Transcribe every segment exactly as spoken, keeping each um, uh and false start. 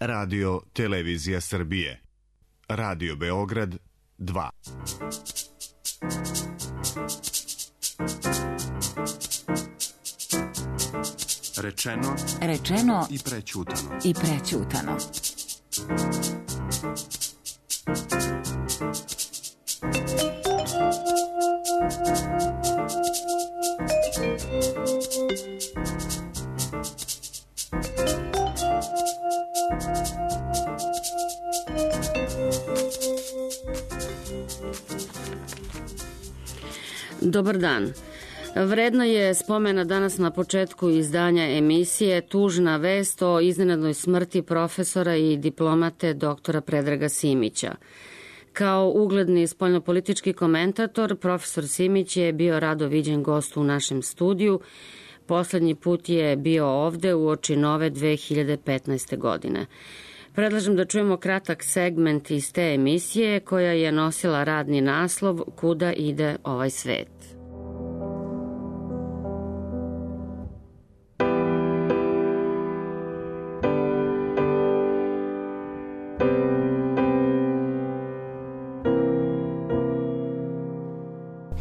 Radio Televizija Srbije. Radio Beograd dva. Rečeno, rečeno i prećutano. I prećutano. Dobar dan. Vredno je spomena danas na početku izdanja emisije tužna vest o iznenadnoj smrti profesora i diplomate doktora Predraga Simića. Kao ugledni spoljnopolitički komentator, profesor Simić je bio rado viđen gost u našem studiju. Poslednji put je bio ovde uoči nove dve hiljade petnaeste. godine. Predlažem da čujemo kratak segment iz te emisije koja je nosila radni naslov Kuda ide ovaj svet.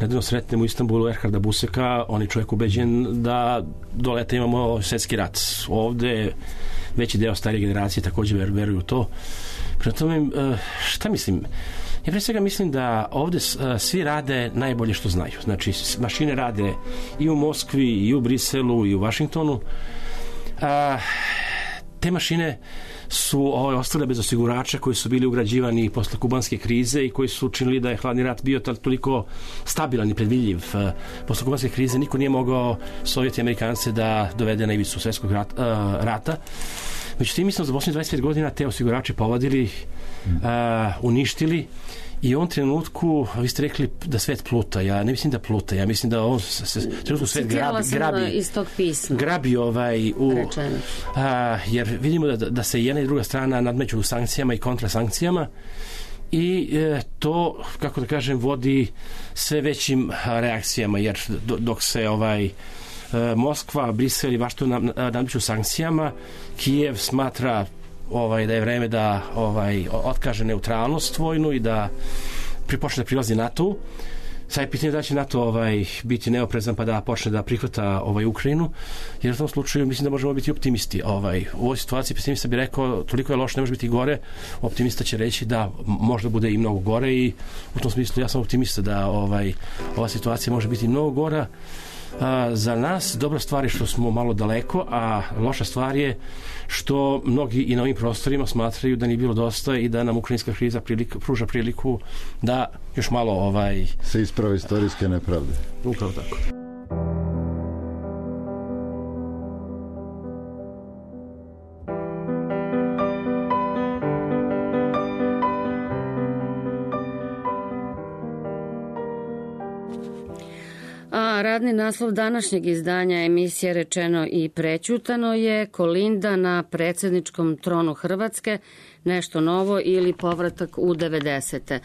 Nedavno sretnemo u Istanbulu Erharda Buseka, on je čovjek ubeđen da do leta imamo svjetski rat. Ovde veći deo starije generacije također veruju u to. Prema tome, šta mislim? Ja pre svega mislim da ovde svi rade najbolje što znaju. Znači, mašine rade i u Moskvi, i u Briselu, i u Vašingtonu. A, te mašine su ovaj, ostale bez osigurača koji su bili ugrađivani posle kubanske krize i koji su učinili da je hladni rat bio toliko stabilan i predvidljiv. Posle kubanske krize niko nije mogao Sovjeti i Amerikance da dovede na ivicu svjetskog rat, uh, rata. Međutim, mislim da za posljednjih dvadeset pet godina te osigurače povadili, uh, uništili i u ovom trenutku, vi ste rekli da svet pluta, ja ne mislim da pluta, ja mislim da on se, trenutku svet grabi, grabi, iz tog pisma. grabi ovaj, u, a, jer vidimo da, da se jedna i druga strana nadmeću u sankcijama i kontrasankcijama i e, to, kako da kažem, vodi sve većim reakcijama, jer do, dok se ovaj e, Moskva, Brisel i Vašington nadmeću sankcijama, Kijev smatra ovaj, da je vreme da ovaj, otkaže neutralnost vojnu i da pripočne da prilazi NATO. Sad je pitanje da će NATO ovaj, biti neoprezan pa da počne da prihvata ovaj, Ukrajinu, jer u tom slučaju mislim da možemo biti optimisti. Ovaj, u ovoj situaciji pesimista bi rekao toliko je loše, ne može biti gore. Optimista će reći da možda bude i mnogo gore i u tom smislu ja sam optimista da ovaj, ova situacija može biti mnogo gora. A, za nas dobra stvar je što smo malo daleko, a loša stvar je što mnogi i na ovim prostorima smatraju da nije bilo dosta i da nam ukrajinska kriza prilika, pruža priliku da još malo ovaj se isprave istorijske nepravde. Upravo tako. Radni naslov današnjeg izdanja emisije Rečeno i prećutano je Kolinda na predsjedničkom tronu Hrvatske, nešto novo ili povratak u devedesete.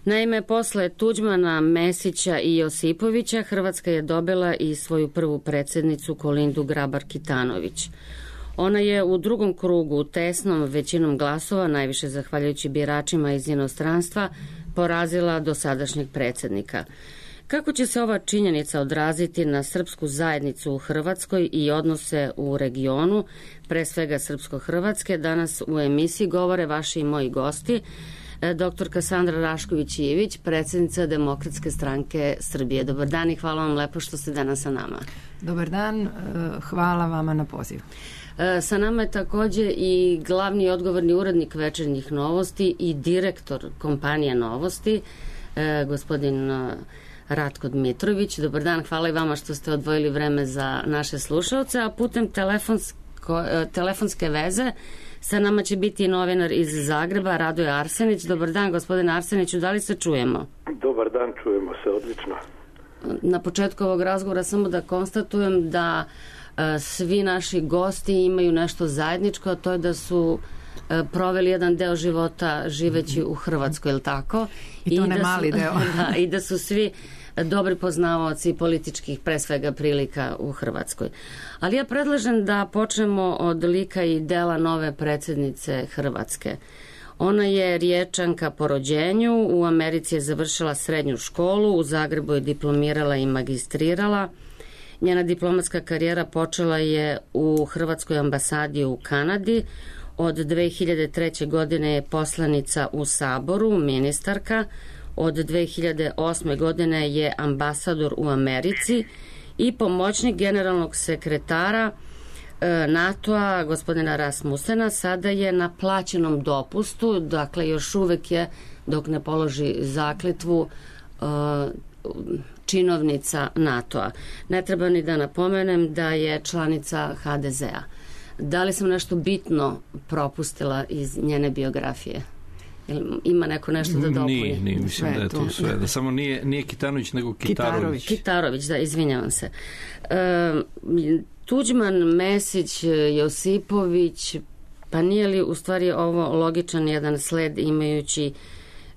Naime, posle Tuđmana, Mesića i Josipovića, Hrvatska je dobila i svoju prvu predsjednicu Kolindu Grabar-Kitarović. Ona je u drugom krugu tesnom većinom glasova, najviše zahvaljujući biračima iz inostranstva, porazila dosadašnjeg predsjednika. Kako će se ova činjenica odraziti na srpsku zajednicu u Hrvatskoj i odnose u regionu, pre svega srpsko-hrvatske, danas u emisiji govore vaši i moji gosti, doktorka Sandra Rašković-Ivić, predsjednica Demokratske stranke Srbije. Dobar dan i hvala vam lepo što ste danas sa nama. Dobar dan, hvala vama na pozivu. Sa nama je takođe i glavni i odgovorni urednik Večernjih novosti i direktor kompanije Novosti, gospodin Ratko Dmitrović. Dobar dan, hvala i vama što ste odvojili vreme za naše slušalce, a putem telefonsko, telefonske veze sa nama će biti novinar iz Zagreba, Radoje Arsenić. Dobar dan, gospodine Arseniću, da li se čujemo? Dobar dan, čujemo se, odlično. Na početku ovog razgovora samo da konstatujem da e, svi naši gosti imaju nešto zajedničko, a to je da su e, proveli jedan deo života živeći u Hrvatskoj, je li tako? I to I ne da mali su, deo. da, i da su svi dobri poznavaoci političkih, pre svega, prilika u Hrvatskoj. Ali ja predlažem da počnemo od lika i dela nove predsjednice Hrvatske. Ona je Riječanka po rođenju, u Americi je završila srednju školu, u Zagrebu je diplomirala i magistrirala. Njena diplomatska karijera počela je u Hrvatskoj ambasadi u Kanadi. Od dve hiljade treće. godine je poslanica u Saboru, ministarka. Od dve hiljade osme. godine je ambasador u Americi i pomoćnik generalnog sekretara NATO-a, gospodina Rasmusena. Sada je na plaćenom dopustu, dakle još uvek je, dok ne položi zakletvu, činovnica NATO-a. Ne treba ni da napomenem da je članica ha de zea. Da li sam nešto bitno propustila iz njene biografije? Ima neko nešto da dopuni? Nije, nije, mislim da je to sve. Da samo nije, nije Kitanović, nego Kitarović. Kitarović, da, izvinjavam se. E, Tuđman, Mesić, Josipović, pa nije li u stvari ovo logičan jedan sled imajući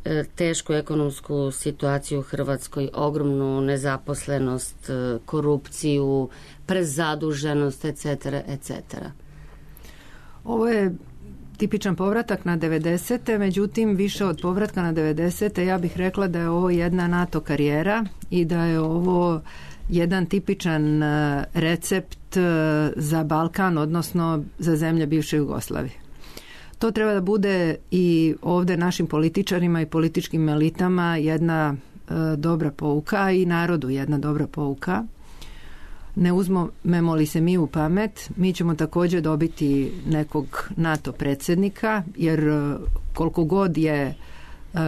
e, tešku ekonomsku situaciju u Hrvatskoj, ogromnu nezaposlenost, e, korupciju, prezaduženost, et cetera, et cetera? Ovo je tipičan povratak na devedesete, međutim više od povratka na devedesete ja bih rekla da je ovo jedna NATO karijera i da je ovo jedan tipičan recept za Balkan, odnosno za zemlje bivše Jugoslavije. To treba da bude i ovdje našim političarima i političkim elitama jedna dobra pouka i narodu jedna dobra pouka. Ne uzmemo li se mi u pamet, mi ćemo također dobiti nekog NATO predsjednika, jer koliko god je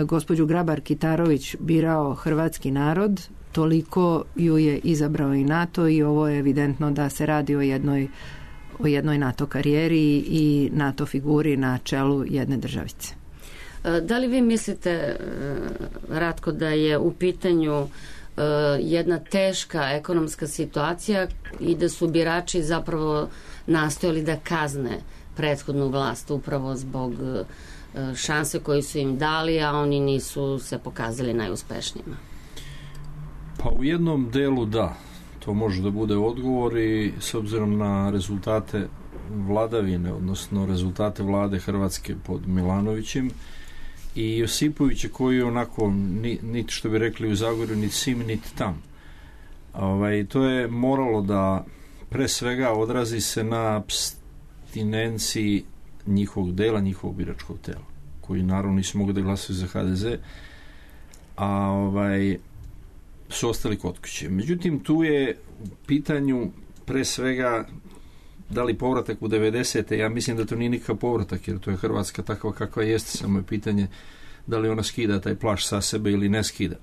gospođu Grabar Kitarović birao hrvatski narod, toliko ju je izabrao i NATO i ovo je evidentno da se radi o jednoj, o jednoj NATO karijeri i NATO figuri na čelu jedne državice. Da li vi mislite, Ratko, da je u pitanju jedna teška ekonomska situacija i da su birači zapravo nastojali da kazne prethodnu vlast upravo zbog šanse koju su im dali, a oni nisu se pokazali najuspešnijima? Pa u jednom delu da, to može da bude odgovor i s obzirom na rezultate vladavine, odnosno rezultate vlade Hrvatske pod Milanovićem i Josipovića koji je onako niti što bi rekli u Zagorju niti sim niti tam. Ovaj, to je moralo da pre svega odrazi se na apstinenciji njihovog dela, njihovog biračkog tela, koji naravno nisu mogli da glasaju za ha de ze, a ovaj, su ostali kod kuće. Međutim, tu je u pitanju pre svega da li povratak u devedesete. Ja mislim da to nije nikakav povratak, jer to je Hrvatska takva kakva jeste, samo je pitanje da li ona skida taj plašt sa sebe ili ne skida.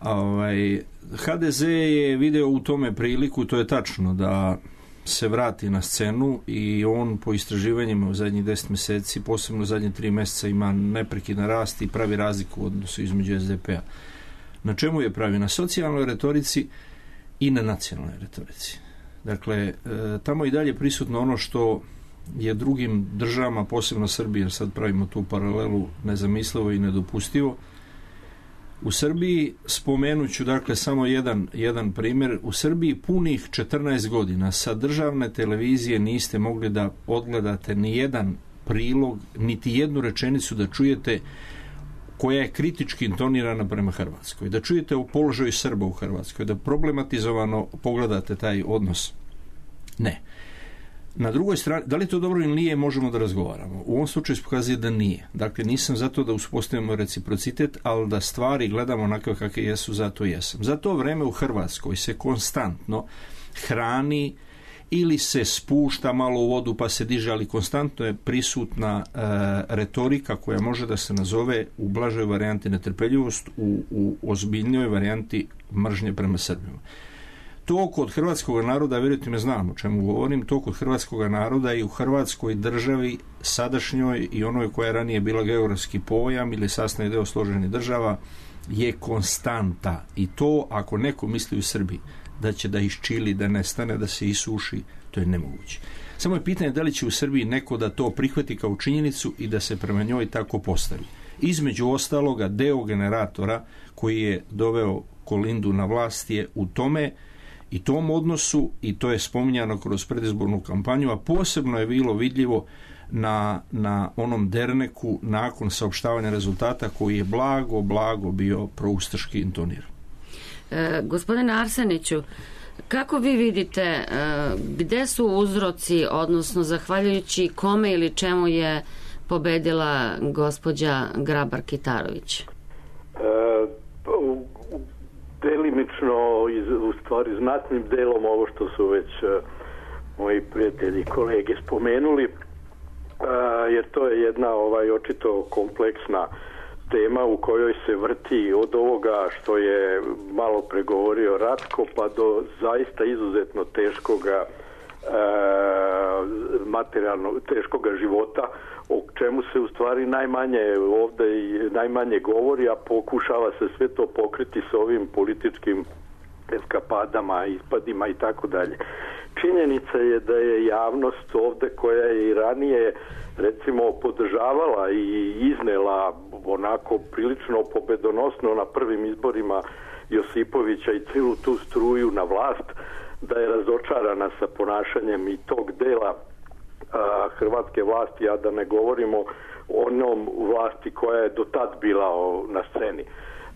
Ovaj, ha de ze je video u tome priliku, to je tačno, da se vrati na scenu i on po istraživanjima u zadnjih deset mjeseci, posebno u zadnje tri mjeseca, ima neprekidan rast i pravi razliku u odnosu između es de pe a. Na čemu je pravi? Na socijalnoj retorici i na nacionalnoj retorici. Dakle, e, tamo i dalje prisutno ono što je drugim državama, posebno Srbiji, jer sad pravimo tu paralelu, nezamislivo i nedopustivo. U Srbiji, spomenut ću dakle samo jedan, jedan primjer, u Srbiji punih četrnaest godina sa državne televizije niste mogli da odgledate ni jedan prilog, niti jednu rečenicu da čujete koja je kritički intonirana prema Hrvatskoj, da čujete o položaju Srba u Hrvatskoj, da problematizovano pogledate taj odnos. Ne. Na drugoj strani, da li to dobro ili nije, možemo da razgovaramo. U ovom slučaju se pokazuje da nije. Dakle, nisam zato da uspostavimo reciprocitet, ali da stvari gledamo onako kakve jesu, zato jesam. Za to vreme u Hrvatskoj se konstantno hrani ili se spušta malo u vodu pa se diže, ali konstantno je prisutna e, retorika koja može da se nazove u blažoj varijanti netrpeljivost, u, u ozbiljnoj varijanti mržnje prema Srbima. To kod hrvatskog naroda, vjerujte me, znam o čemu govorim, to kod hrvatskog naroda i u Hrvatskoj državi sadašnjoj i onoj koja je ranije bila geografski pojam ili sastavni deo složenih država je konstanta. I to ako neko misli u Srbiji da će da iščili, da nestane, da se isuši, to je nemoguće. Samo je pitanje da li će u Srbiji neko da to prihvati kao činjenicu i da se prema njoj tako postavi. Između ostaloga, deo generatora koji je doveo Kolindu na vlast je u tome i tom odnosu, i to je spominjano kroz predizbornu kampanju, a posebno je bilo vidljivo na, na onom derneku nakon saopštavanja rezultata koji je blago, blago bio proustaški intoniran. E, gospodine Arseniću, kako vi vidite e, gde su uzroci, odnosno zahvaljujući kome ili čemu je pobedila gospođa Grabar-Kitarović? E, delimično, u stvari znatnim delom ovo što su već moji prijatelji i kolege spomenuli, jer to je jedna ovaj očito kompleksna tema u kojoj se vrti od ovoga što je malo pregovorio Ratko pa do zaista izuzetno teškoga e, materijalno teškoga života, o čemu se u stvari najmanje ovdje i najmanje govori, a pokušava se sve to pokriti s ovim političkim eskapadama, ispadima i tako dalje. Činjenica je da je javnost ovdje, koja je i ranije recimo podržavala i iznela onako prilično pobedonosno na prvim izborima Josipovića i celu tu struju na vlast, da je razočarana sa ponašanjem i tog dela a, hrvatske vlasti, a da ne govorimo o onom vlasti koja je do tad bila o, na sceni.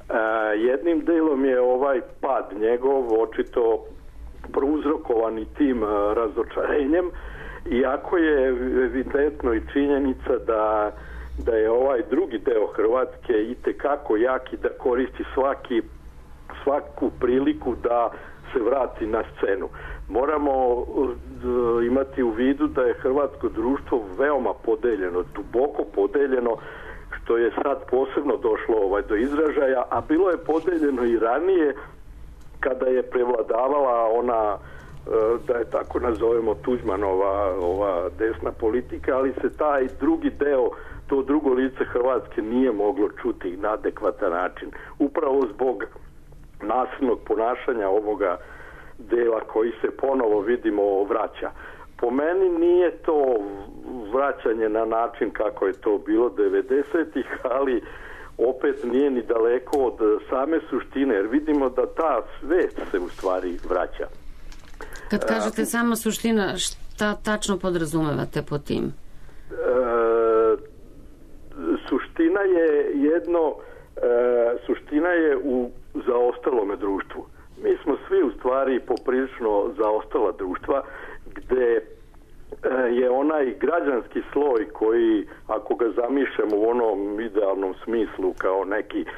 A, jednim delom je ovaj pad njegov očito prouzrokovani tim a, razočarenjem, iako je evidentno i činjenica da, da je ovaj drugi deo Hrvatske itekako jak i da koristi svaki, svaku priliku da se vrati na scenu. Moramo imati u vidu da je hrvatsko društvo veoma podeljeno, duboko podeljeno, što je sad posebno došlo ovaj do izražaja, a bilo je podeljeno i ranije kada je prevladavala ona, da je tako nazovemo, Tuđmanova ova desna politika, ali se taj drugi deo, to drugo lice Hrvatske nije moglo čuti na adekvatan način. Upravo zbog nasilnog ponašanja ovoga dela koji se ponovo vidimo vraća. Po meni nije to vraćanje na način kako je to bilo devedesetih, ali opet nije ni daleko od same suštine, jer vidimo da ta svest se u stvari vraća. Kad kažete uh, sama suština, šta tačno podrazumevate po tim? Uh, suština je jedno, uh, suština je u zaostalome društvu. Mi smo svi u stvari poprilično zaostala društva, gde uh, je onaj građanski sloj koji, ako ga zamišljamo u onom idealnom smislu kao neki uh,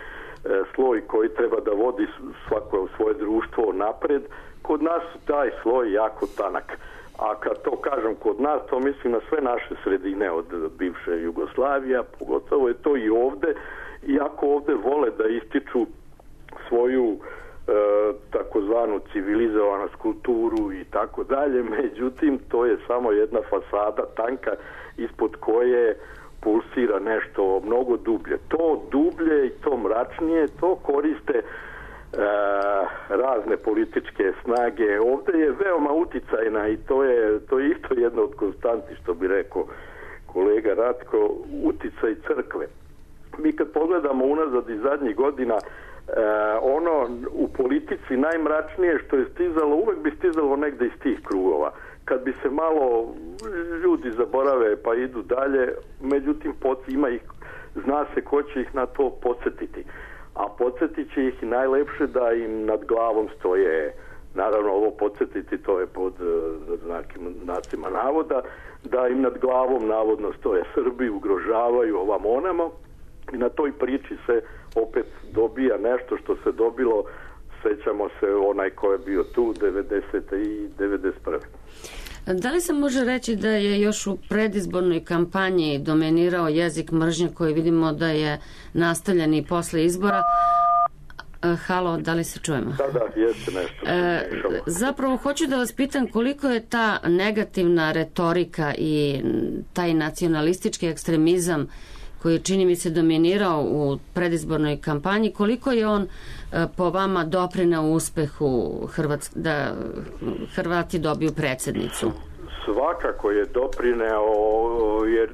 sloj koji treba da vodi svako svoje društvo napred, kod nas taj sloj jako tanak. A kad to kažem kod nas, to mislim na sve naše sredine od bivše Jugoslavije, pogotovo je to i ovde, iako ovde vole da ističu svoju e, takozvanu civilizovanost, kulturu i tako dalje, međutim to je samo jedna fasada tanka ispod koje pulsira nešto mnogo dublje. To dublje i to mračnije, to koriste E, razne političke snage. Ovdje je veoma uticajna i to je, to je isto jedno od konstanti, što bi rekao kolega Ratko, uticaj crkve. Mi kad pogledamo unazad i zadnjih godina, e, ono u politici najmračnije što je stizalo, uvek bi stizalo negde iz tih krugova. Kad bi se malo ljudi zaborave pa idu dalje, međutim ima ih, zna se ko će ih na to podsjetiti. A podsjetit će ih najlepše da im nad glavom stoje, naravno ovo podsjetiti to je pod znakim znacima navoda, da im nad glavom navodno stoje Srbi, ugrožavaju ovam onamo i na toj priči se opet dobija nešto što se dobilo, sećamo se onaj ko je bio tu devedesete i devedeset prve. Da li se može reći da je još u predizbornoj kampanji dominirao jezik mržnje koji vidimo da je nastavljen i posle izbora? Halo, da li se čujemo? Da, da, jeste nešto. E, zapravo, hoću da vas pitam koliko je ta negativna retorika i taj nacionalistički ekstremizam koji čini mi se dominirao u predizbornoj kampanji, koliko je on po vama doprineo uspehu Hrvatsk, da Hrvati dobiju predsjednicu? Svakako je doprineo, jer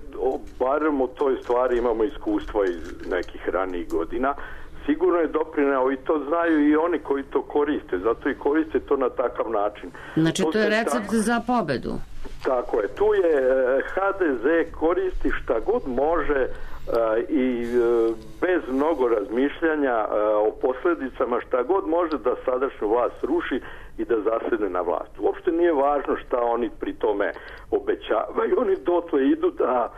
barem u toj stvari imamo iskustva iz nekih ranijih godina. sigurno je doprineo i to znaju i oni koji to koriste, zato i koriste to na takav način. Znači to, to je recept tako, za pobedu. Tako je, tu je ha de ze koristi šta god može i bez mnogo razmišljanja o posljedicama šta god može da sadašnju vlast ruši i da zasedne na vlast. Uopšte nije važno šta oni pri tome obećavaju, oni dotle idu da,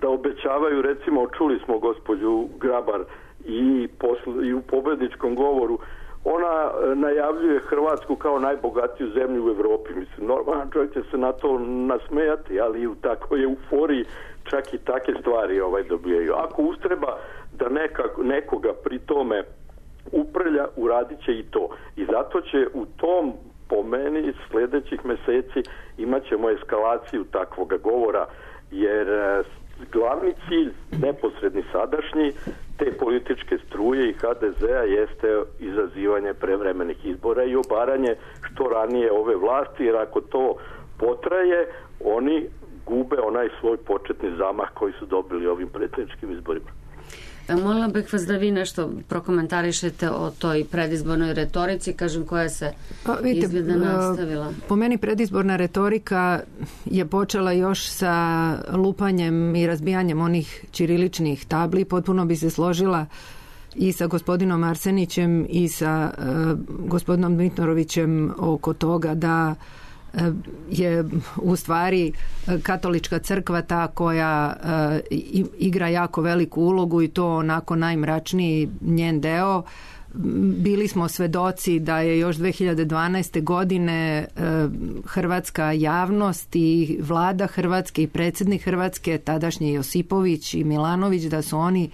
da obećavaju, recimo čuli smo gospođu Grabar i, posl, i u pobedničkom govoru, ona najavljuje Hrvatsku kao najbogatiju zemlju u Evropi. Mislim, normalan čovjek će se na to nasmejati, ali u takvoj euforiji čak i take stvari ovaj dobijaju. Ako ustreba da neka, nekoga pri tome uprlja, uradit će i to. I zato će u tom, po meni, sljedećih meseci imat ćemo eskalaciju takvoga govora, jer glavni cilj, neposredni sadašnji, te političke struje i ha de zea jeste izazivanje prevremenih izbora i obaranje što ranije ove vlasti, jer ako to potraje, oni gube onaj svoj početni zamah koji su dobili ovim predsjedničkim izborima. Molila bih vas da vi nešto prokomentarišete o toj predizbornoj retorici, kažem, koja se pa, vidite, izgleda nastavila. Po meni predizborna retorika je počela još sa lupanjem i razbijanjem onih ćiriličnih tabli. Potpuno bi se složila i sa gospodinom Arsenićem i sa uh, gospodinom Dmitorovićem oko toga da je u stvari katolička crkva ta koja uh, igra jako veliku ulogu i to onako najmračniji njen deo. Bili smo svedoci da je još dve hiljade dvanaeste. godine uh, hrvatska javnost i vlada Hrvatske i predsjednik Hrvatske, tadašnji Josipović i Milanović, da su oni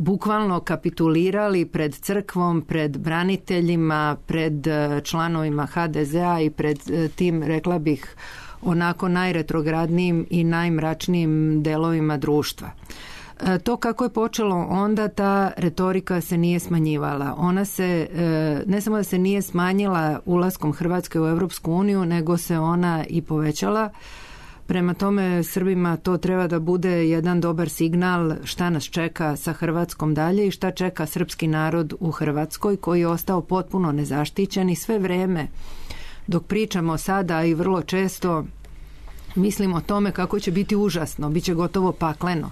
bukvalno kapitulirali pred crkvom, pred braniteljima, pred članovima ha de zea i pred tim, rekla bih, onako najretrogradnijim i najmračnijim delovima društva. To kako je počelo onda, ta retorika se nije smanjivala. Ona se, ne samo da se nije smanjila ulaskom Hrvatske u Europsku uniju, nego se ona i povećala. Prema tome, Srbima to treba da bude jedan dobar signal šta nas čeka sa Hrvatskom dalje i šta čeka srpski narod u Hrvatskoj, koji je ostao potpuno nezaštićen i sve vreme dok pričamo sada i vrlo često mislimo o tome kako će biti užasno, bit će gotovo pakleno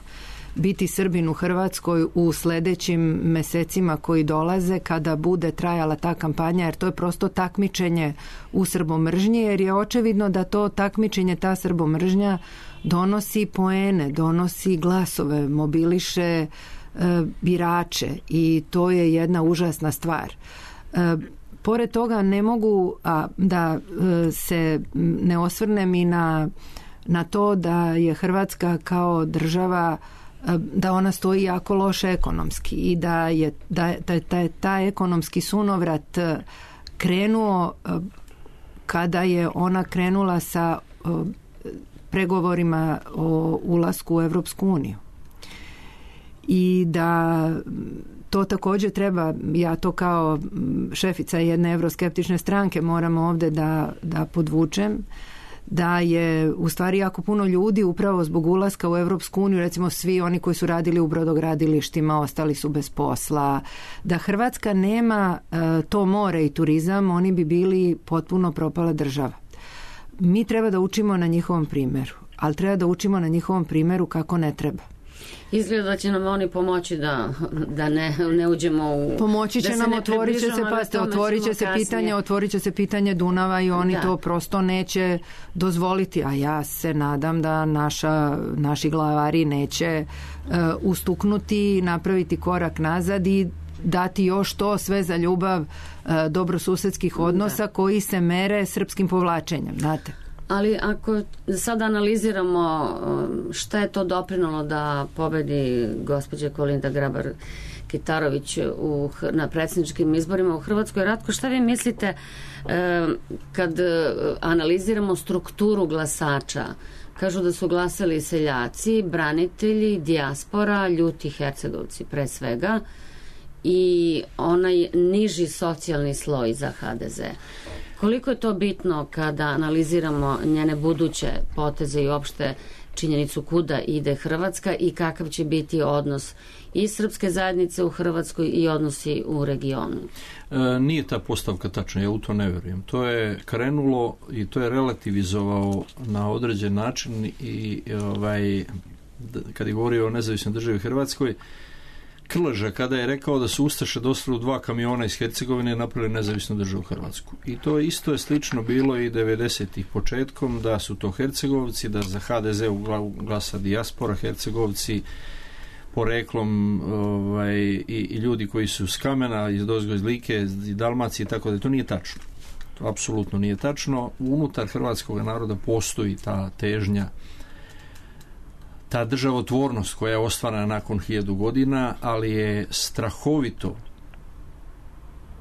biti Srbin u Hrvatskoj u sljedećim mesecima koji dolaze kada bude trajala ta kampanja, jer to je prosto takmičenje u srbomržnji, jer je očevidno da to takmičenje, ta srbomržnja donosi poene, donosi glasove, mobiliše e, birače i to je jedna užasna stvar. E, pored toga ne mogu a, da e, se ne osvrnem i na, na to da je Hrvatska kao država, da ona stoji jako loše ekonomski i da je da, da, da je taj ekonomski sunovrat krenuo kada je ona krenula sa pregovorima o ulasku u Evropsku uniju. I da to također treba, ja to kao šefica jedne evroskeptične stranke moram ovdje da, da podvučem, da je u stvari jako puno ljudi upravo zbog ulaska u Evropsku uniju, recimo svi oni koji su radili u brodogradilištima ostali su bez posla, da Hrvatska nema e, to more i turizam, oni bi bili potpuno propala država. Mi treba da učimo na njihovom primjeru, ali treba da učimo na njihovom primjeru kako ne treba. Izgleda da će nam oni pomoći da, da ne, ne uđemo u... Pomoći će nam, otvorit će se, pa otvorit će se pitanje, otvorit će se pitanje Dunava i oni da. to prosto neće dozvoliti, a ja se nadam da naša, naši glavari neće uh, ustuknuti, napraviti korak nazad i dati još to sve za ljubav uh, dobrosusedskih odnosa da. koji se mere srpskim povlačenjem, znate. Ali ako sad analiziramo šta je to doprinalo da pobedi gospođa Kolinda Grabar-Kitarović u, na predsjedničkim izborima u Hrvatskoj, Ratko, šta vi mislite kad analiziramo strukturu glasača? Kažu da su glasali seljaci, branitelji, dijaspora, ljuti Hercegovci pre svega i onaj niži socijalni sloj za ha de ze. Koliko je to bitno kada analiziramo njene buduće poteze i opšte činjenicu kuda ide Hrvatska i kakav će biti odnos i srpske zajednice u Hrvatskoj i odnosi u regionu? E, nije ta postavka tačna, ja u to ne vjerujem. To je krenulo i to je relativizovao na određen način i ovaj, kad je govorio o nezavisnoj državi Hrvatskoj, Krleža kada je rekao da su Ustaše došli u dva kamiona iz Hercegovine i napravili nezavisnu državu Hrvatsku. I to isto je slično bilo i devedesetih početkom, da su to Hercegovci, da za ha de ze glasa dijaspora, Hercegovci poreklom ovaj, i, i ljudi koji su s Kamena, iz Dozgo, iz Like, iz Dalmacije, tako da to nije tačno. To apsolutno nije tačno. Unutar hrvatskog naroda postoji ta težnja, ta državotvornost koja je ostvarena nakon hiljadu godina, ali je strahovito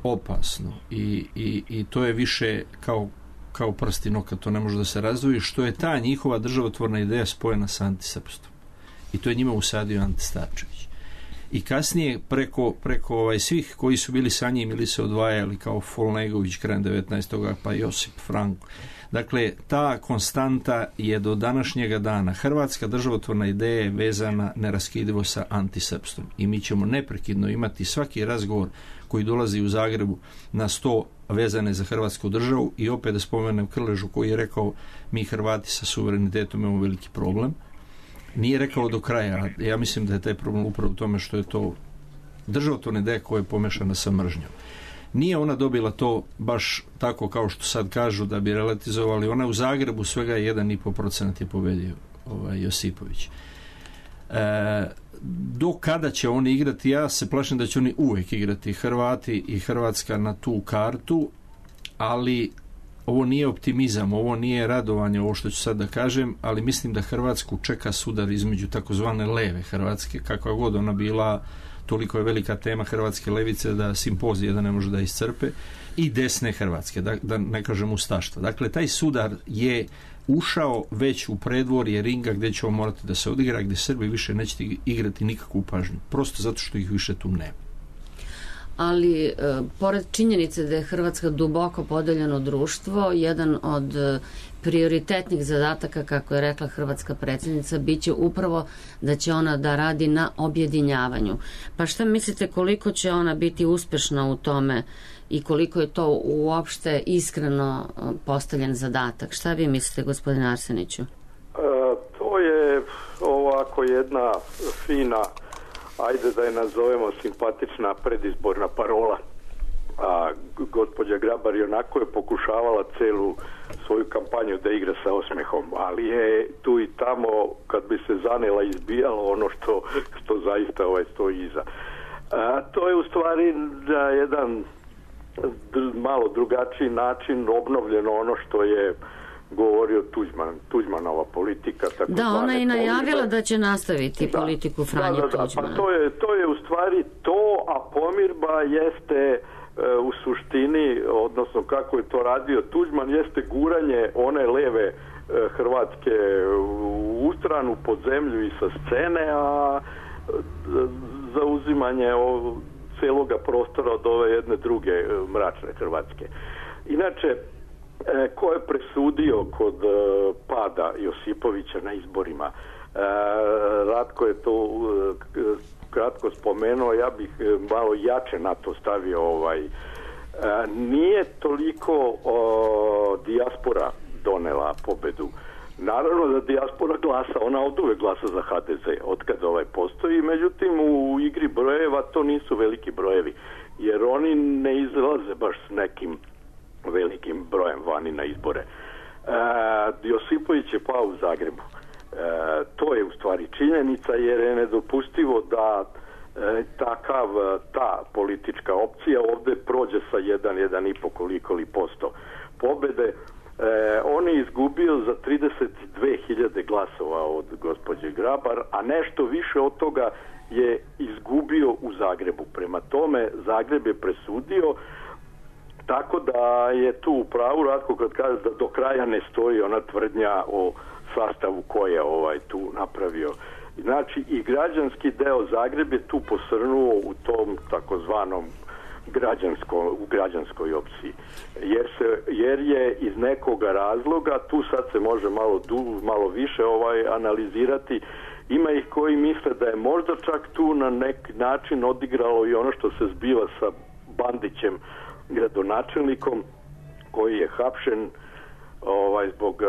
opasno i, i, i to je više kao, kao prst i nokat, to ne može da se razdvoji, što je ta njihova državotvorna ideja spojena sa antisrpstvom. I to je njima usadio Ante Starčević. I kasnije preko, preko ovaj, svih koji su bili sa njim ili se odvajali kao Folnegović krajem devetnaestog pa Josip Franko. Dakle, ta konstanta je do današnjega dana. Hrvatska državotvorna ideja je vezana neraskidivo sa antisrpstvom. I mi ćemo neprekidno imati svaki razgovor koji dolazi u Zagrebu na sto vezane za Hrvatsku državu i opet da spomenem Krležu koji je rekao mi Hrvati sa suverenitetom imamo veliki problem. Nije rekao do kraja. Ja mislim da je taj problem upravo u tome što je to državotvorna ideja koja je pomešana sa mržnjom. Nije ona dobila to baš tako kao što sad kažu da bi relativizovali. Ona u Zagrebu svega jedan i po procenat je pobedio ovaj, Josipović. E, do kada će oni igrati? Ja se plašim da će oni uvijek igrati, Hrvati i Hrvatska, na tu kartu, ali ovo nije optimizam, ovo nije radovanje, ovo što ću sad da kažem, ali mislim da Hrvatsku čeka sudar između takozvane leve Hrvatske, kakva god ona bila, toliko je velika tema hrvatske levice da simpozije da ne može da iscrpe, i desne Hrvatske, da, da ne kažem ustaštva. Dakle, taj sudar je ušao već u predvorje ringa gdje ćemo morati da se odigra, gdje Srbi više neće igrati nikakvu pažnju, prosto zato što ih više tu nema. Ali, e, pored činjenice da je Hrvatska duboko podeljeno društvo, jedan od e, prioritetnih zadataka, kako je rekla hrvatska predsjednica, bit će upravo da će ona da radi na objedinjavanju. Pa šta mislite koliko će ona biti uspješna u tome i koliko je to uopšte iskreno postavljen zadatak? Šta vi mislite, gospodine Arseniću? E, to je ovako jedna fina, ajde da je nazovemo simpatična predizborna parola. A gospođa Grabar je onako je pokušavala celu svoju kampanju da igra sa osmehom, ali je tu i tamo kad bi se zanela izbijalo ono što, što zaista ovaj stoji iza. A, to je u stvari na jedan malo drugačiji način obnovljeno ono što je govorio Tuđman, Tuđmanova politika. Tako da, ona je najavila pomirba, da će nastaviti da, politiku Franje da, da, da, Tuđmana. Pa to je, to je u stvari to, a pomirba jeste e, u suštini, odnosno kako je to radio Tuđman, jeste guranje one leve e, Hrvatske u stranu, pod zemlju i sa scene, a e, zauzimanje o, celoga prostora od ove jedne druge e, mračne Hrvatske. Inače, E, ko je presudio kod e, pada Josipovića na izborima? E, Ratko je to e, kratko spomenuo, ja bih malo jače na to stavio. Ovaj. E, nije toliko o, dijaspora donela pobedu. Naravno da dijaspora glasa, ona od uvek glasa za ha de ze, od kad ovaj postoji, međutim u igri brojeva to nisu veliki brojevi, jer oni ne izlaze baš s nekim velikim brojem vani na izbore. E, Josipović je pao u Zagrebu. E, to je u stvari činjenica, jer je nedopustivo da e, takav, ta politička opcija ovdje prođe sa jedan, jedan i po koliko li posto pobede. E, on je izgubio za trideset dve hiljade glasova od gospođe Grabar, a nešto više od toga je izgubio u Zagrebu. Prema tome, Zagreb je presudio. Tako da je tu u pravu Ratko kad kaže da do kraja ne stoji ona tvrdnja o sastavu koje je ovaj tu napravio. Znači i građanski deo Zagreb je tu posrnuo u tom takozvanom građansko, u građanskoj opciji. Jer, se, jer je iz nekoga razloga, tu sad se može malo, du, malo više ovaj analizirati, ima ih koji misle da je možda čak tu na neki način odigralo i ono što se zbiva sa Bandićem, gradonačelnikom, koji je hapšen ovaj, zbog uh,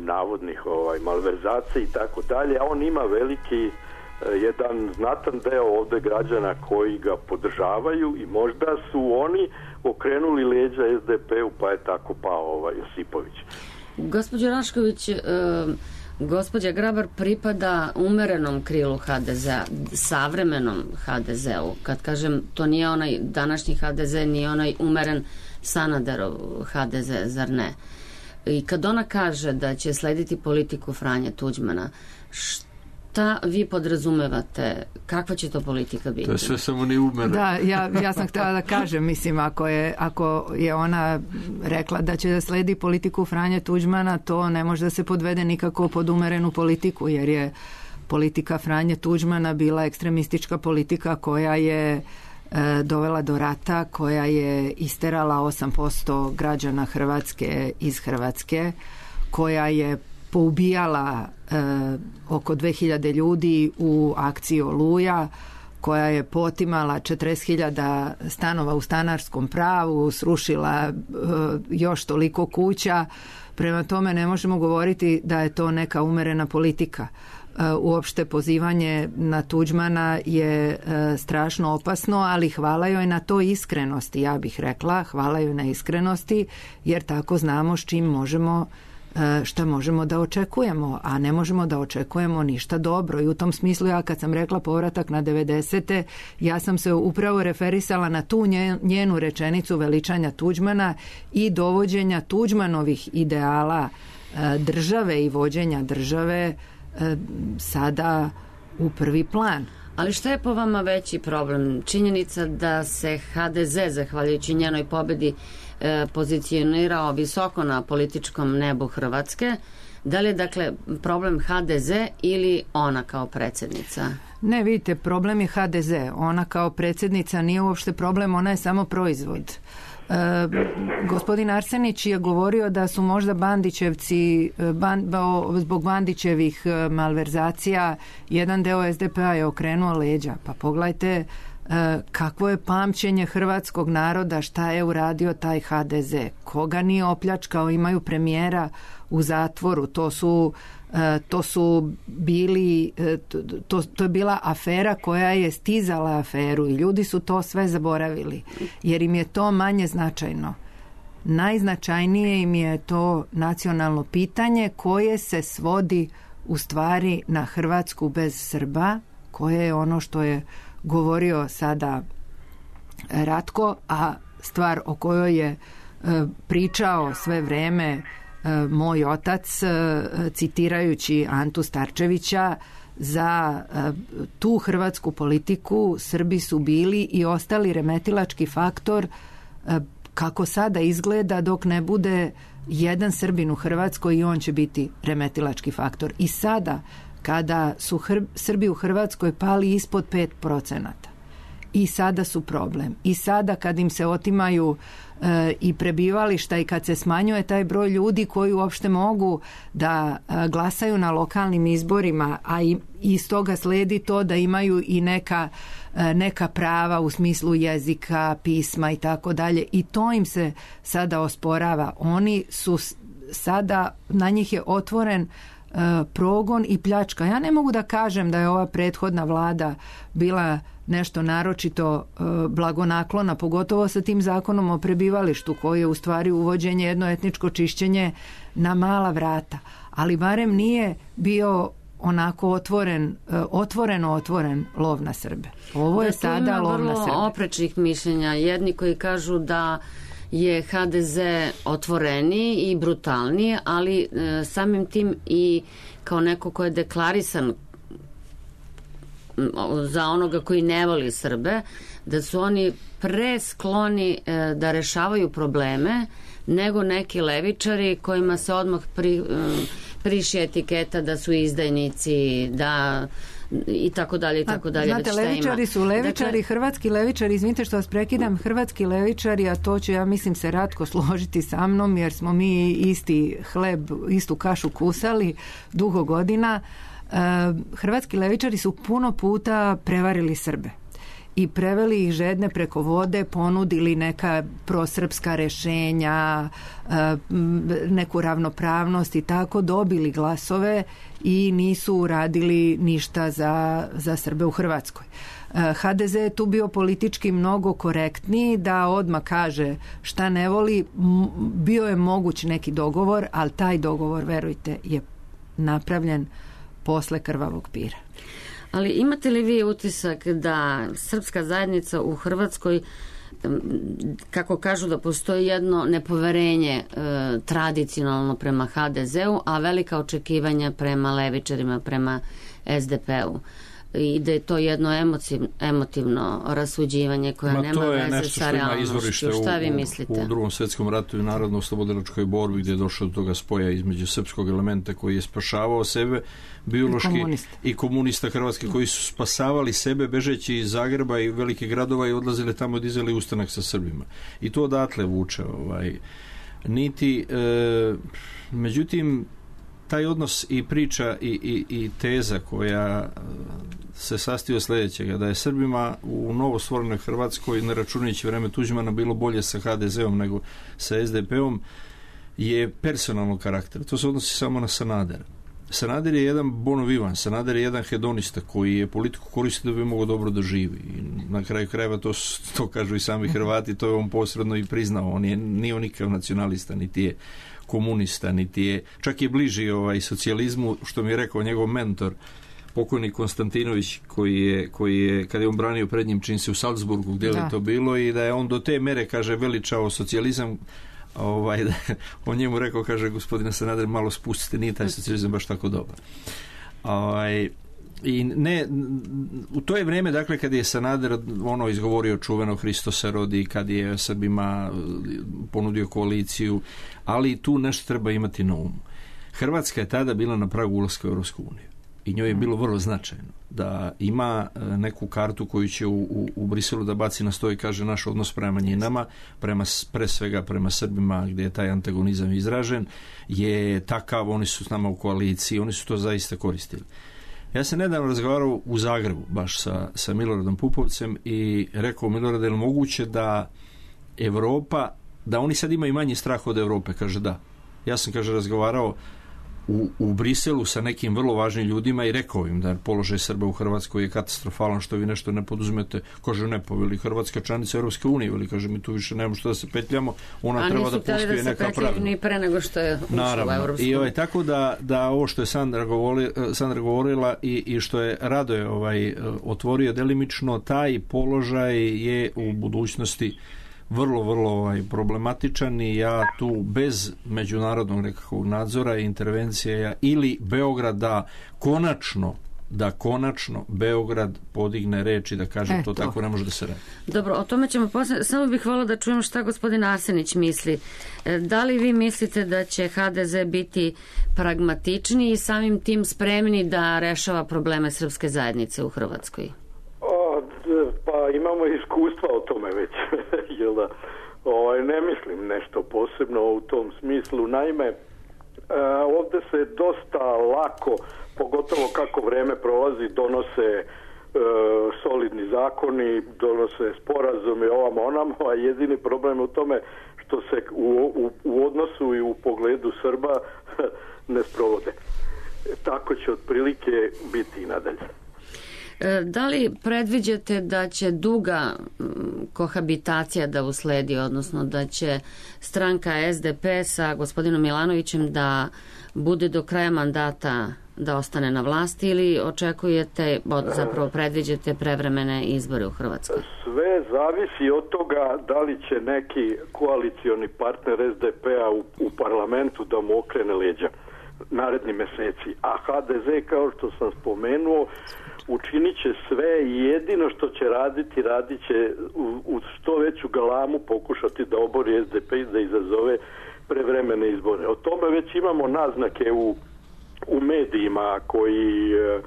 navodnih ovaj, malverzacija i tako dalje, a on ima veliki uh, jedan znatan deo ovde građana koji ga podržavaju i možda su oni okrenuli leđa es de pe u, pa je tako pao ovaj Josipović. Gospođo Rašković, uh, gospođa Grabar pripada umerenom krilu ha de zea, savremenom ha de zeu. Kad kažem, to nije onaj današnji ha de ze, nije onaj umeren Sanaderov ha de ze, zar ne? I kad ona kaže da će slediti politiku Franje Tuđmana, šta vi podrazumevate? Kakva će to politika biti? To je sve samo ni umeren. Da, ja, ja sam htjela da kažem, mislim, ako je, ako je ona rekla da će da sledi politiku Franje Tuđmana, to ne može da se podvede nikako pod umerenu politiku, jer je politika Franje Tuđmana bila ekstremistička politika koja je e, dovela do rata, koja je isterala osam posto građana Hrvatske iz Hrvatske, koja je poubijala e, oko dve hiljade ljudi u akciji Oluja, koja je potimala četrdeset hiljada stanova u stanarskom pravu, srušila e, još toliko kuća. Prema tome ne možemo govoriti da je to neka umerena politika. E, uopšte pozivanje na Tuđmana je e, strašno opasno, ali hvala joj na to iskrenosti, ja bih rekla, hvala joj na iskrenosti, jer tako znamo s čim možemo šta možemo da očekujemo, a ne možemo da očekujemo ništa dobro. I u tom smislu ja kad sam rekla povratak na devedesete, ja sam se upravo referisala na tu njenu rečenicu veličanja Tuđmana i dovođenja Tuđmanovih ideala države i vođenja države sada u prvi plan. Ali šta je po vama veći problem? Činjenica da se ha de ze, zahvaljujući njenoj pobedi, pozicionirao visoko na političkom nebu Hrvatske. Da li je dakle problem ha de ze ili ona kao predsjednica? Ne, vidite, problem je ha de ze. Ona kao predsjednica nije uopšte problem, ona je samo proizvod. E, gospodin Arsenić je govorio da su možda Bandićevci ban, zbog Bandićevih malverzacija jedan deo es de pe-a je okrenuo leđa. Pa pogledajte kakvo je pamćenje hrvatskog naroda, šta je uradio taj ha de ze, koga nije opljačkao, imaju premijera u zatvoru, to su to su bili to, to je bila afera koja je stizala aferu i ljudi su to sve zaboravili, jer im je to manje značajno. Najznačajnije im je to nacionalno pitanje koje se svodi u stvari na Hrvatsku bez Srba, koje je ono što je govorio sada Ratko, a stvar o kojoj je pričao sve vreme moj otac, citirajući Antu Starčevića, za tu hrvatsku politiku Srbi su bili i ostali remetilački faktor kako sada izgleda dok ne bude jedan Srbin u Hrvatskoj i on će biti remetilački faktor. I sada kada su Hr- Srbi u Hrvatskoj pali ispod pet procenata i sada su problem. I sada kad im se otimaju e, i prebivališta i kad se smanjuje taj broj ljudi koji uopšte mogu da e, glasaju na lokalnim izborima, a i iz toga sledi to da imaju i neka, e, neka prava u smislu jezika, pisma i tako dalje. I to im se sada osporava. Oni su sada, na njih je otvoren progon i pljačka. Ja ne mogu da kažem da je ova prethodna vlada bila nešto naročito blagonaklona, pogotovo sa tim zakonom o prebivalištu koji je u stvari uvođenje jedno etničko čišćenje na mala vrata. Ali barem nije bio onako otvoren, otvoreno otvoren lov na Srbe. Ovo je sada lov na Srbe. Tu ima vrlo oprečnih mišljenja. Jedni koji kažu da je ha de ze otvoreniji i brutalniji, ali e, samim tim i kao neko ko je deklarisan za onoga koji ne voli Srbe, da su oni pre skloni e, da rešavaju probleme nego neki levičari kojima se odmah pri, e, priši etiketa da su izdajnici, da i tako dalje i tako dalje. Znate, levičari su levičari, dakle, hrvatski levičari, izvinite što vas prekidam, hrvatski levičari, a to ću ja mislim se Ratko složiti sa mnom, jer smo mi isti hleb, istu kašu kusali dugo godina. Hrvatski levičari su puno puta prevarili Srbe i preveli ih žedne preko vode, ponudili neka prosrpska rešenja, neku ravnopravnost i tako, dobili glasove i nisu uradili ništa za, za Srbe u Hrvatskoj. ha de ze je tu bio politički mnogo korektniji, da odmah kaže šta ne voli. Bio je moguć neki dogovor, ali taj dogovor, verujte, je napravljen posle krvavog pira. Ali imate li vi utisak da srpska zajednica u Hrvatskoj, kako kažu da postoji jedno nepoverenje e, tradicionalno prema ha de zeu, a velika očekivanja prema levičarima, prema es de pe u? I da je to jedno emotiv, emotivno rasuđivanje koje Ma, nema veze sa realnošću. Šta vi mislite? U, u drugom svjetskom ratu i narodno-oslobodilačkoj borbi, gdje je došlo do toga spoja između srpskog elementa koji je spašavao sebe biološki i komunista, i komunista hrvatski koji su spasavali sebe bežeći iz Zagreba i velikih gradova i odlazili tamo, dizali ustanak sa Srbima. I to odatle vuče. Ovaj, niti, e, međutim, taj odnos i priča i, i, i teza koja se sastoji od sljedećega, da je Srbima u novostvorenoj Hrvatskoj, ne računajući vreme Tuđmana, bilo bolje sa ha de zeom nego sa es de pe om, je personalnog karaktera. To se odnosi samo na Sanadera. Sanader je jedan bono vivan, Sanader je jedan hedonista koji je politiku koristio da bi mogao dobro da živi. I na kraju krajeva to, to kažu i sami Hrvati, to je on posredno i priznao. On je, nije on nikakav nacionalista, niti je komunista, niti je, čak je bliži ovaj socijalizmu, što mi je rekao njegov mentor, pokojni Konstantinović, koji je, koji je, kada je on branio pred njim, čini se u Salzburgu, gdje je to bilo, i da je on do te mere, kaže, veličao socijalizam, ovaj, da, on njemu rekao, kaže, gospodine Sanader, malo spustite, nije taj socijalizam baš tako dobar. Ovaj, i ne, u to je vrijeme, dakle, kad je Sanader ono izgovorio čuveno Hristo se rodi, kad je Srbima ponudio koaliciju, ali tu nešto treba imati na umu. Hrvatska je tada bila na pragu ulaska u Europsku uniju i njoj je bilo vrlo značajno da ima neku kartu koju će u, u, u Briselu da baci na sto i kaže naš odnos prema manjinama, prema, pre svega prema Srbima, gdje je taj antagonizam izražen, je takav, oni su s nama u koaliciji, oni su to zaista koristili. Ja sam nedavno razgovarao u Zagrebu baš sa, sa Miloradom Pupovcem i rekao, Milorade, je li moguće da Evropa, da oni sad imaju manji strah od Europe? Kaže da. Ja sam, kaže, razgovarao u, u Briselu sa nekim vrlo važnim ljudima i rekao im da položaj Srba u Hrvatskoj je katastrofalan, što vi nešto ne poduzmete. Kaže, ne, pa veli Hrvatska članica Europske unije, veli, kaže, mi tu više nemamo što da se petljamo, ona a treba da postoje da neka pravila. Ni pre nego što je ušla u Europsku uniju. I ovaj, tako da, da ovo što je Sandra, govori, Sandra govorila i, i što je Radoje ovaj, otvorio delimično, taj položaj je u budućnosti vrlo, vrlo ovaj, problematičan i ja tu bez međunarodnog nekakvog nadzora i intervencije ili Beograd da konačno da konačno Beograd podigne reč i da kaže e, to, to tako ne može da se radi. Dobro, o tome ćemo poslije. Samo bih voljela da čujem šta gospodin Arsenić misli. Da li vi mislite da će ha de ze biti pragmatični i samim tim spremni da rešava probleme srpske zajednice u Hrvatskoj? O, pa imamo iskustva o tome već. Jel da? O, ne mislim nešto posebno u tom smislu. Naime, e, ovdje se dosta lako, pogotovo kako vreme prolazi, donose e, solidni zakoni, donose sporazume ovamo onamo, a jedini problem je u tome što se u, u, u odnosu i u pogledu Srba ne sprovode. Tako će otprilike biti i nadalje. Da li predviđate da će duga kohabitacija da usledi, odnosno da će stranka es de pe sa gospodinom Milanovićem da bude do kraja mandata da ostane na vlasti ili očekujete, zapravo predviđate prevremene izbore u Hrvatskoj? Sve zavisi od toga da li će neki koalicioni partner es de pe-a u, u parlamentu da mu okrene leđa naredni meseci. A ha de ze, kao što sam spomenuo, učinit će sve i jedino što će raditi, radit će u, u što veću galamu pokušati da obori es de pe i da izazove prevremene izbore. O tome već imamo naznake u, u medijima koji e,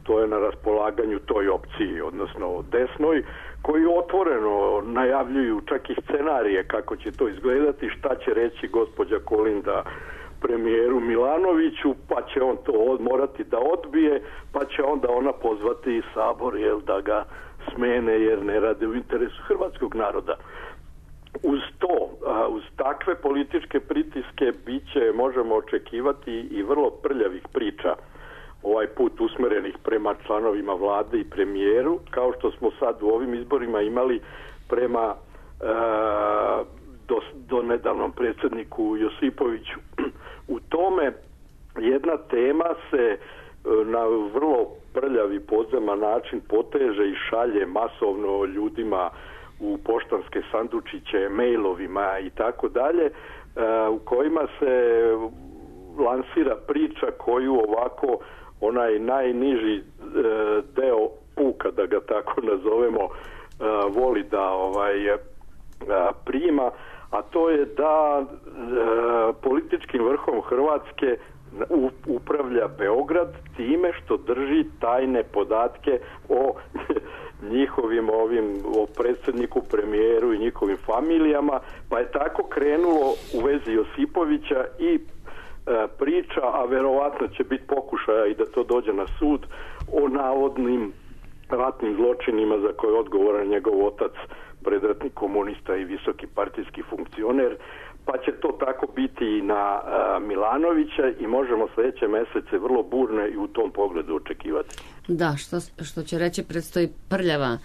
stoje na raspolaganju toj opciji, odnosno desnoj, koji otvoreno najavljuju čak i scenarije kako će to izgledati, šta će reći gospođa Kolinda premijeru Milanoviću, pa će on to morati da odbije, pa će onda ona pozvati Sabor, jel, da ga smene jer ne rade u interesu hrvatskog naroda. Uz to, uz takve političke pritiske biće, možemo očekivati i vrlo prljavih priča, ovaj put usmerenih prema članovima vlade i premijeru, kao što smo sad u ovim izborima imali prema e, do, do nedavnom predsjedniku Josipoviću. U tome jedna tema se na vrlo prljavi podzeman način poteže i šalje masovno ljudima u poštanske sandučiće, mailovima i tako dalje, u kojima se lansira priča koju ovako onaj najniži deo puka, da ga tako nazovemo, voli da ovaj prima, a to je da političkim vrhom Hrvatske upravlja Beograd time što drži tajne podatke o njihovim ovim, o predsjedniku, premijeru i njihovim familijama, pa je tako krenulo u vezi Josipovića i e, priča, a verovatno će biti pokušaja i da to dođe na sud, o navodnim ratnim zločinima za koje je odgovoran njegov otac, predratni komunista i visoki partijski funkcioner, pa će to tako biti i na a, Milanovića i možemo sljedeće mjesece vrlo burne i u tom pogledu očekivati. Da, što, što će reći, predstoji prljava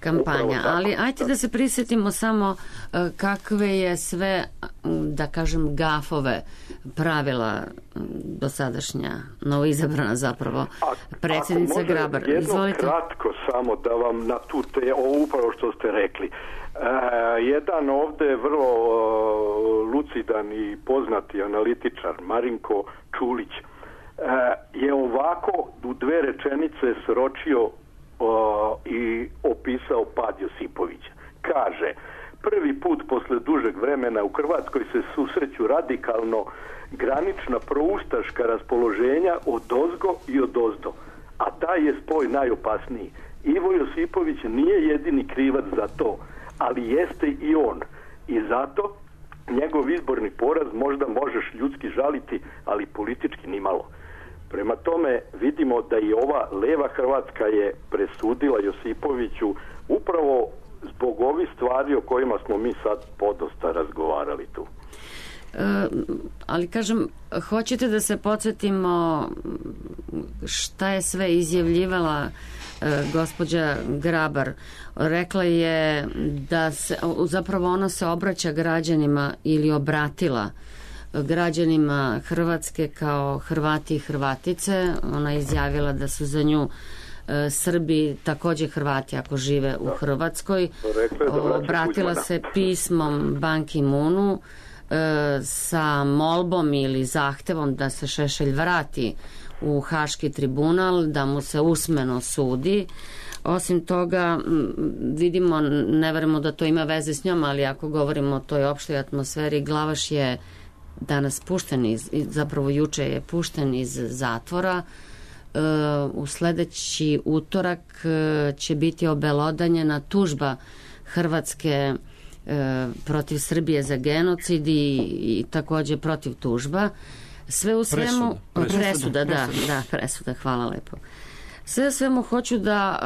kampanja, ali ajte da. da se prisjetimo samo uh, kakve je sve, da kažem, gafove pravila dosadašnja novoizabrana zapravo a, predsjednica Grabar. Jedno Izvolite. Kratko samo da vam na tu te, ovo upravo što ste rekli. Uh, jedan ovdje vrlo uh, lucidan i poznati analitičar Marinko Čulić uh, je ovako u dve rečenice sročio uh, i opisao pad Josipovića. Kaže, prvi put posle dužeg vremena u Hrvatskoj se susreću radikalno granična proustaška raspoloženja odozgo i odozdo, a taj je spoj najopasniji. Ivo Josipović nije jedini krivac za to, ali jeste i on. I zato njegov izborni poraz možda možeš ljudski žaliti, ali politički nimalo. Prema tome vidimo da i ova leva Hrvatska je presudila Josipoviću upravo zbog ovih stvari o kojima smo mi sad podosta razgovarali tu. E, ali kažem, hoćete da se podsjetimo šta je sve izjavljivala e, gospođa Grabar? Rekla je da se, zapravo ona se obraća građanima ili obratila građanima Hrvatske kao Hrvati i Hrvatice. Ona je izjavila da su za nju e, Srbi također Hrvati ako žive u Hrvatskoj. Obratila se pismom Ban Ki-moonu e, sa molbom ili zahtevom da se Šešelj vrati u Haški tribunal, da mu se usmeno sudi. Osim toga, vidimo, ne verujemo da to ima veze s njom, ali ako govorimo o toj opštoj atmosferi, Glavaš je danas pušten iz, zapravo juče je pušten iz zatvora. E, u sljedeći utorak e, će biti obelodanjena tužba Hrvatske e, protiv Srbije za genocid i, i također protiv tužba. Sve u svemu... Presuda, presuda, presuda, da, presuda. da, presuda, hvala lepo. Sve u svemu hoću da,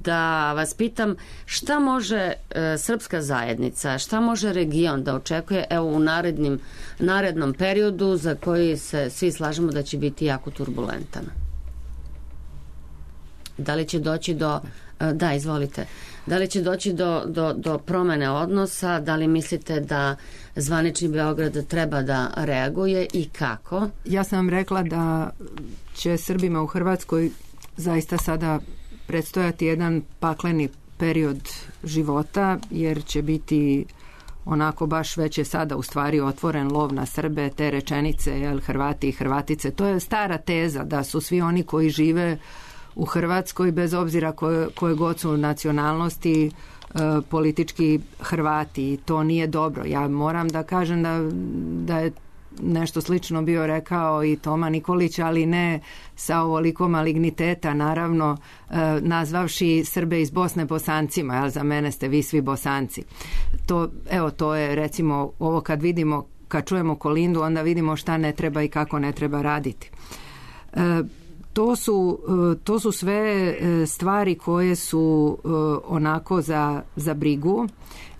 da vas pitam šta može srpska zajednica, šta može region da očekuje evo u narednim, narednom periodu za koji se svi slažemo da će biti jako turbulentan. Da li će doći do... Da, izvolite. Da li će doći do, do, do promene odnosa? Da li mislite da zvanični Beograd treba da reaguje i kako? Ja sam vam rekla da će Srbima u Hrvatskoj zaista sada predstojati jedan pakleni period života, jer će biti onako baš već je sada u stvari otvoren lov na Srbe, te rečenice, jel, Hrvati i Hrvatice. To je stara teza da su svi oni koji žive u Hrvatskoj, bez obzira koje, koje god su nacionalnosti, e, politički Hrvati. To nije dobro. Ja moram da kažem da, da je nešto slično bio rekao i Toma Nikolić, ali ne sa ovoliko maligniteta, naravno, nazvavši Srbe iz Bosne Bosancima, jel, za mene ste vi svi Bosanci. To, evo, to je recimo ovo kad vidimo, kad čujemo Kolindu, onda vidimo šta ne treba i kako ne treba raditi. To su, to su sve stvari koje su onako za, za brigu.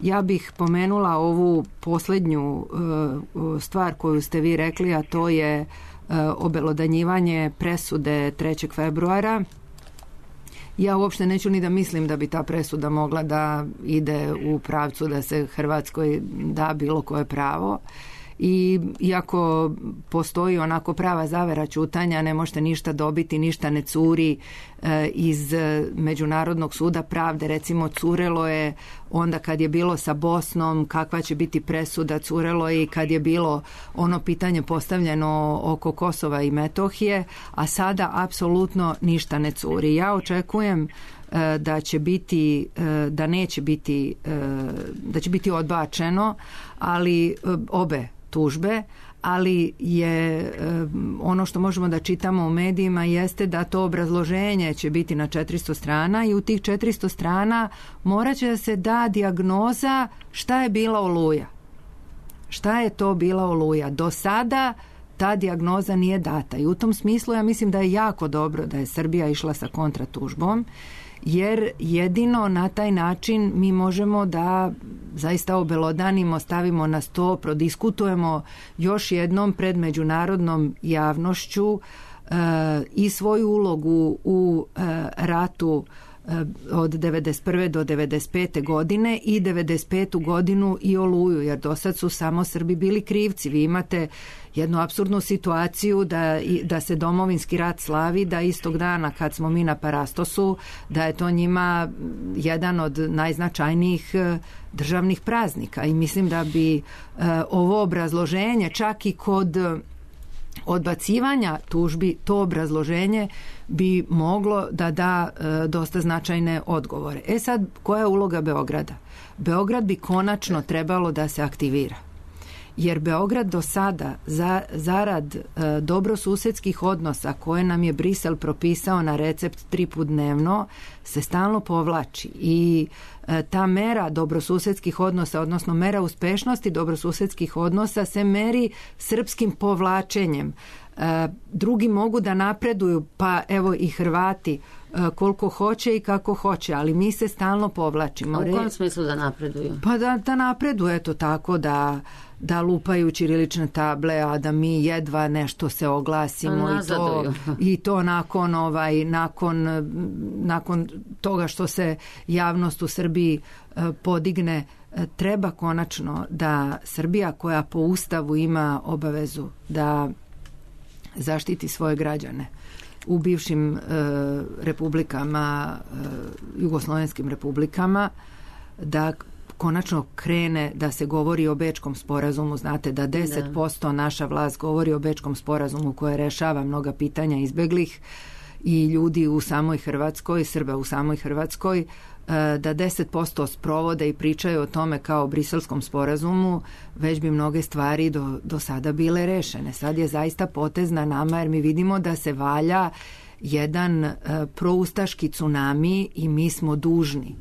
Ja bih pomenula ovu posljednju stvar koju ste vi rekli, a to je obelodanjivanje presude trećeg februara. Ja uopšte neću ni da mislim da bi ta presuda mogla da ide u pravcu da se Hrvatskoj da bilo koje pravo. I iako postoji onako prava zavera ćutanja, ne možete ništa dobiti, ništa ne curi e, iz Međunarodnog suda pravde. Recimo, curelo je onda kad je bilo sa Bosnom, kakva će biti presuda, curelo je i kad je bilo ono pitanje postavljeno oko Kosova i Metohije, a sada apsolutno ništa ne curi. Ja očekujem e, da će biti, e, da neće biti, e, da će biti odbačeno, ali e, obe tužbe, ali je ono što možemo da čitamo u medijima jeste da to obrazloženje će biti na četiristo strana i u tih četiristo strana morat će da se da dijagnoza šta je bila Oluja. Šta je to bila Oluja? Do sada ta dijagnoza nije data i u tom smislu ja mislim da je jako dobro da je Srbija išla sa kontratužbom, jer jedino na taj način mi možemo da zaista obelodanimo, stavimo na sto, prodiskutujemo još jednom pred međunarodnom javnošću e, i svoju ulogu u e, ratu e, od devedeset prve do devedeset pete godine i devedeset petu godinu i Oluju, jer do sad su samo Srbi bili krivci. Vi imate jednu apsurdnu situaciju da, da se domovinski rat slavi, da istog dana kad smo mi na Parastosu, da je to njima jedan od najznačajnijih državnih praznika. I mislim da bi e, ovo obrazloženje, čak i kod odbacivanja tužbi, to obrazloženje bi moglo da da e, dosta značajne odgovore. E sad, koja je uloga Beograda? Beograd bi konačno trebalo da se aktivira. Jer Beograd do sada za, zarad e, dobrosusedskih odnosa koje nam je Brisel propisao na recept tri put dnevno se stalno povlači i e, ta mera dobrosusedskih odnosa, odnosno mera uspešnosti dobrosusedskih odnosa se meri srpskim povlačenjem. E, drugi mogu da napreduju, pa evo i Hrvati e, koliko hoće i kako hoće, ali mi se stalno povlačimo. A u kom smislu da napreduju? Pa da, da napreduju, eto tako da da lupaju ćirilične table, a da mi jedva nešto se oglasimo i to, i to nakon ovaj nakon nakon toga što se javnost u Srbiji e, podigne. E, treba konačno da Srbija, koja po Ustavu ima obavezu da zaštiti svoje građane u bivšim e, republikama, e, jugoslovenskim republikama, da konačno krene da se govori o Bečkom sporazumu. Znate da deset posto naša vlast govori o Bečkom sporazumu koje rešava mnoga pitanja izbeglih i ljudi u samoj Hrvatskoj, Srba u samoj Hrvatskoj, da deset posto sprovode i pričaju o tome kao o Briselskom sporazumu, već bi mnoge stvari do, do sada bile rešene. Sad je zaista potez na nama, jer mi vidimo da se valja jedan proustaški tsunami i mi smo dužni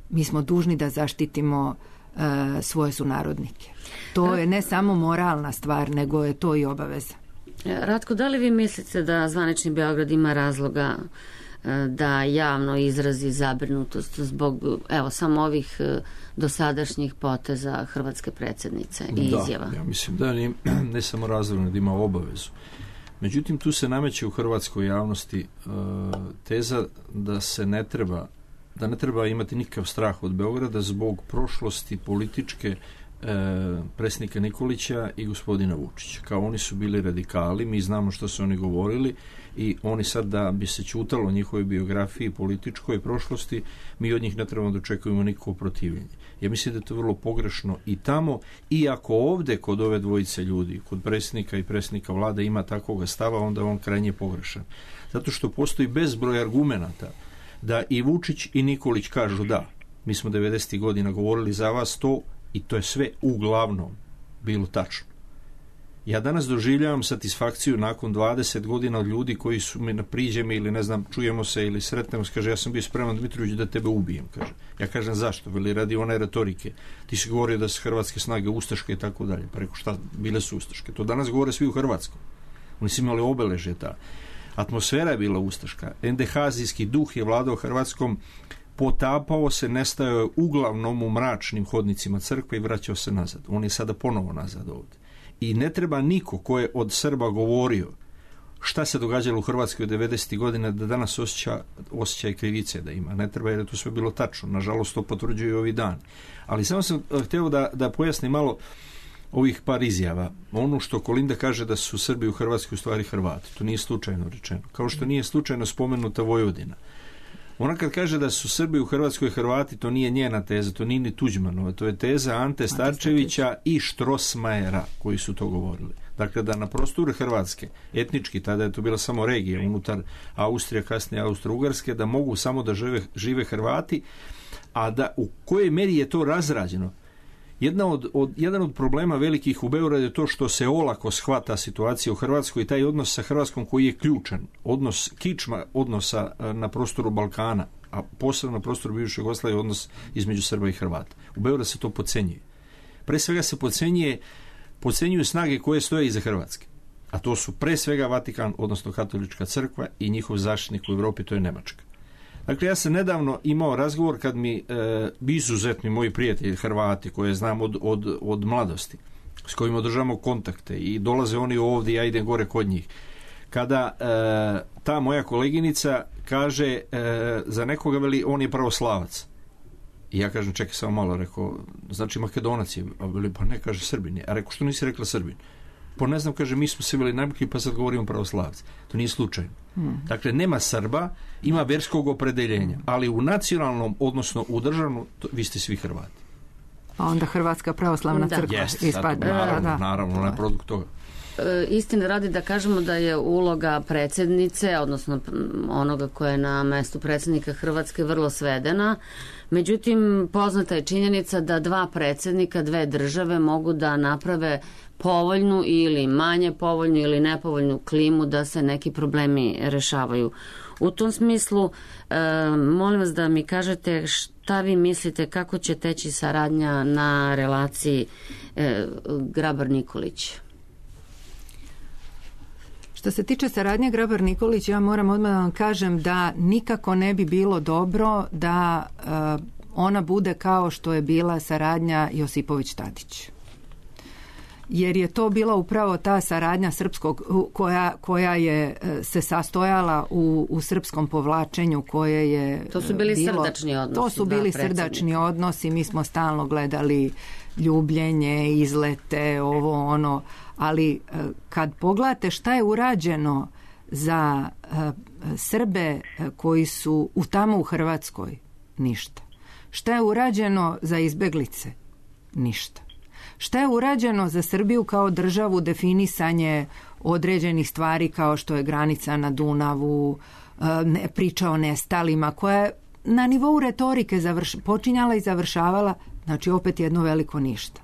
mi smo dužni da zaštitimo uh, svoje sunarodnike. To je ne samo moralna stvar, nego je to i obaveza. Ratko, da li vi mislite da zvanični Beograd ima razloga uh, da javno izrazi zabrinutost zbog, evo, samo ovih uh, dosadašnjih poteza hrvatske predsjednice i da, izjava? Ja mislim da ne, ne samo razlog, da ima obavezu. Međutim, tu se nameće u hrvatskoj javnosti uh, teza da se ne treba da ne treba imati nikakav strah od Beograda zbog prošlosti političke e, predsjednika Nikolića i gospodina Vučića. Kao oni su bili radikali, mi znamo što su oni govorili i oni sad, da bi se ćutalo o njihovoj biografiji, političkoj prošlosti, mi od njih ne trebamo da očekujemo nikakvo protivljenje. Ja mislim da je to vrlo pogrešno i tamo, iako ovde kod ove dvojice ljudi, kod predsjednika i predsjednika vlade ima takvog stava, onda on krajnje pogrešan. Zato što postoji bezbroj argumenata da i Vučić i Nikolić kažu da, mi smo devedesetih godina govorili za vas to i to je sve uglavnom bilo tačno. Ja danas doživljavam satisfakciju nakon dvadeset godina od ljudi koji su mi priđe mi ili ne znam, čujemo se ili sretnemo se, kaže, ja sam bio spreman, Dmitrović, da tebe ubijem, kaže. Ja kažem, zašto? Veli, radi one retorike. Ti si govorio da su hrvatske snage ustaške i tako dalje. Pa rekao, šta, bile su ustaške. To danas govore svi u Hrvatskom. Oni su imali obeležje ta. Atmosfera je bila ustaška. Endehazijski duh je vladao Hrvatskom, potapao se, nestajao je uglavnom u mračnim hodnicima crkve i vraćao se nazad. On je sada ponovo nazad ovdje. I ne treba niko ko je od Srba govorio šta se događalo u Hrvatskoj od devedesetih godina da danas osjeća, osjeća i krivice da ima. Ne treba, jer je to sve bilo tačno. Nažalost, to potvrđuje i ovi dan. Ali samo sam htio da, da pojasnim malo ovih par izjava. Ono što Kolinda kaže da su Srbi u Hrvatskoj u stvari Hrvati. To nije slučajno rečeno. Kao što nije slučajno spomenuta Vojvodina. Ona kad kaže da su Srbi u Hrvatskoj Hrvati, to nije njena teza, to nije ni Tuđmanova, to je teza Ante Starčevića i Štrosmajera koji su to govorili. Dakle, da na prostoru Hrvatske, etnički, tada je to bila samo regija unutar Austrija, kasnije Austro-Ugarske, da mogu samo da žive, žive Hrvati, a da u kojoj meri je to razrađeno. Jedna od, od, jedan od problema velikih u Beogradu je to što se olako shvata situacija u Hrvatskoj i taj odnos sa Hrvatskom koji je ključan. Odnos, kičma odnosa na prostoru Balkana, a posebno na prostoru bivše Jugoslavije, odnos između Srba i Hrvata. U Beogradu se to podcenjuje. Pre svega se podcenjuje, podcenjuju snage koje stoje iza Hrvatske. A to su pre svega Vatikan, odnosno Katolička crkva i njihov zaštitnik u Europi, to je Nemačka. Dakle, ja sam nedavno imao razgovor kad mi e, izuzetni moji prijatelji Hrvati, koje znam od, od, od mladosti, s kojima održavamo kontakte i dolaze oni ovdje, ja idem gore kod njih. Kada e, ta moja koleginica kaže e, za nekoga, veli, on je pravoslavac. I ja kažem, čekaj samo malo, rekao, znači Makedonac je, a veli, pa ne, kaže Srbin je. A rekao, što nisi rekla Srbin? Pa ne znam, kaže, mi smo se bili najbolji, pa sad govorimo pravoslavci. To nije slučajno. Hmm. Dakle, nema Srba, ima verskog opredeljenja, ali u nacionalnom, odnosno u državnom, to, vi ste svi Hrvati. A onda Hrvatska pravoslavna crkva Jest, ispadne. Naravno, da, da. naravno, na produkt toga. E, istine radi da kažemo da je uloga predsjednice, odnosno onoga koje je na mestu predsjednika Hrvatske, vrlo svedena. Međutim, poznata je činjenica da dva predsjednika, dve države mogu da naprave povoljnu ili manje povoljnu ili nepovoljnu klimu da se neki problemi rešavaju. U tom smislu, e, molim vas da mi kažete šta vi mislite kako će teći saradnja na relaciji e, Grabar-Nikolić? Što se tiče saradnje Grabar-Nikolić, ja moram odmah da vam kažem da nikako ne bi bilo dobro da uh, ona bude kao što je bila saradnja Josipović-Tadić. Jer je to bila upravo ta saradnja srpskog, koja, koja je se sastojala u, u srpskom povlačenju, koje je to su bili bilo, srdačni odnosi. To su bili srdačni odnosi, mi smo stalno gledali ljubljenje, izlete, ovo ono, ali kad pogledate šta je urađeno za Srbe koji su u tamo u Hrvatskoj, ništa. Šta je urađeno za izbeglice? Ništa. Šta je urađeno za Srbiju kao državu, definisanje određenih stvari kao što je granica na Dunavu, priča o nestalima, koja je na nivou retorike završ, počinjala i završavala, znači opet jedno veliko ništa.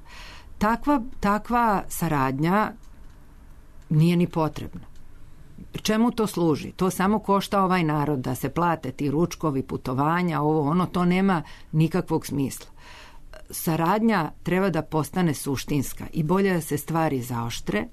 Takva, takva saradnja nije ni potrebna. Čemu to služi? To samo košta ovaj narod, da se plate ti ručkovi, putovanja, ovo, ono, to nema nikakvog smisla. Saradnja treba da postane suštinska i bolje da se stvari zaoštre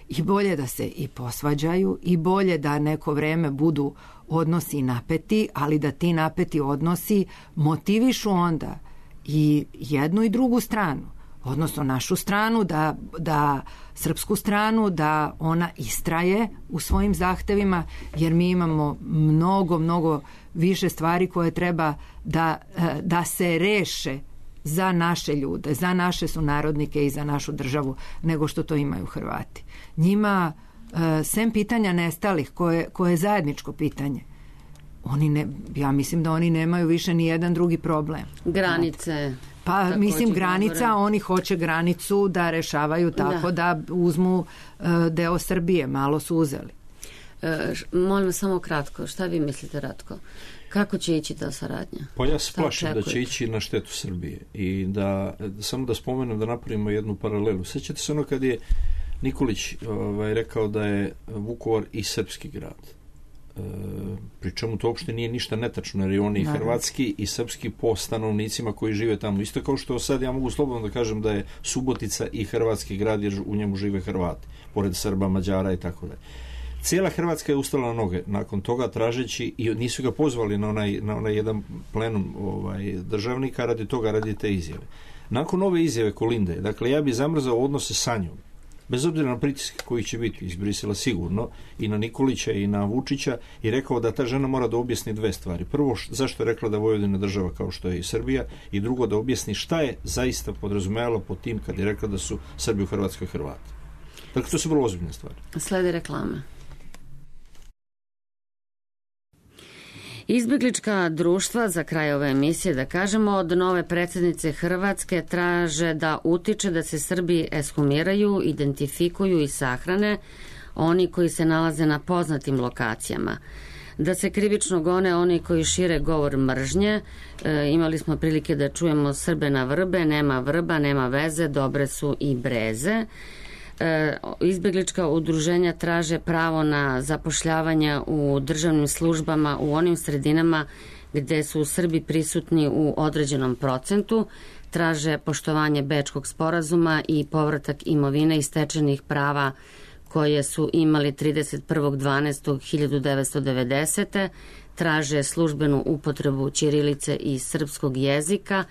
i bolje da se i posvađaju i bolje da neko vreme budu odnosi napeti, ali da ti napeti odnosi motivišu onda i jednu i drugu stranu, odnosno našu stranu, da, da srpsku stranu, da ona istraje u svojim zahtevima, jer mi imamo mnogo, mnogo više stvari koje treba da, da se reše za naše ljude, za naše sunarodnike i za našu državu, nego što to imaju Hrvati. Njima, sem pitanja nestalih, koje, koje je zajedničko pitanje, oni ne, ja mislim da oni nemaju više ni jedan drugi problem. Granice. Pa mislim granica, govore. Oni hoće granicu da rešavaju tako da, da uzmu uh, deo Srbije, malo su uzeli. E, molim samo kratko, šta vi mislite, Ratko? Kako će ići ta saradnja? Pa ja se plašim da će ići na štetu Srbije i da, da samo da spomenem, da napravimo jednu paralelu. Sjećate se ono kad je Nikolić ovaj, rekao da je Vukovar i srpski grad. E, pri čemu to uopšte nije ništa netačno, jer je on i hrvatski i srpski po stanovnicima koji žive tamo. Isto kao što sad ja mogu slobodno da kažem da je Subotica i hrvatski grad, jer u njemu žive Hrvati, pored Srba, Mađara i tako dalje. Cijela Hrvatska je ustala na noge nakon toga tražeći, i nisu ga pozvali na onaj, na onaj jedan plenum ovaj, državnika radi toga, radi te izjave. Nakon ove izjave Kolinde, dakle ja bi zamrzao odnose sa njom, bez obzira na pritiske koji će biti iz Brisela sigurno, i na Nikolića i na Vučića, i rekao da ta žena mora da objasni dve stvari. Prvo, zašto je rekla da Vojvodina država kao što je i Srbija, i drugo, da objasni šta je zaista podrazumevalo pod tim kad je rekla da su Srbi u Hrvatskoj Hrvati. Dakle, to su vrlo ozbiljne stvari. Slede reklame. Izbjeglička društva, za kraj ove emisije da kažemo, od nove predsjednice Hrvatske traže da utiče da se Srbi ekshumiraju, identifikuju i sahrane oni koji se nalaze na poznatim lokacijama. Da se krivično gone oni koji šire govor mržnje. E, imali smo prilike da čujemo Srbe na vrbe, nema vrba, nema veze, dobre su i breze. E, izbjeglička udruženja traže pravo na zapošljavanje u državnim službama u onim sredinama gde su Srbi prisutni u određenom procentu, traže poštovanje Bečkog sporazuma i povratak imovine i stečenih prava koje su imali trideset prvog decembra hiljadu devetsto devedesete. Traže službenu upotrebu ćirilice i srpskog jezika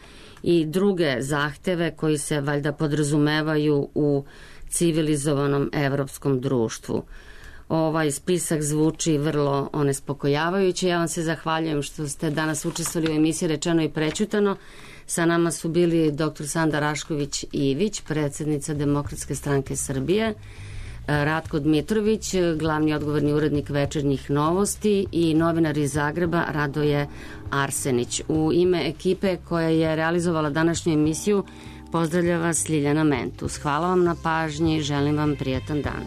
i druge zahteve koji se valjda podrazumevaju u civilizovanom evropskom društvu. Ovaj spisak zvuči vrlo onespokojavajuće. Ja vam se zahvaljujem što ste danas učestvovali u emisiji Rečeno i prećutano. Sa nama su bili doktor Sanda Rašković-Ivić, predsjednica Demokratske stranke Srbije, Ratko Dmitrović, glavni odgovorni urednik Večernjih novosti, i novinar iz Zagreba Radoje Arsenić. U ime ekipe koja je realizovala današnju emisiju pozdravlja vas Ljiljana Mentus. Hvala vam na pažnji, želim vam prijatan dan.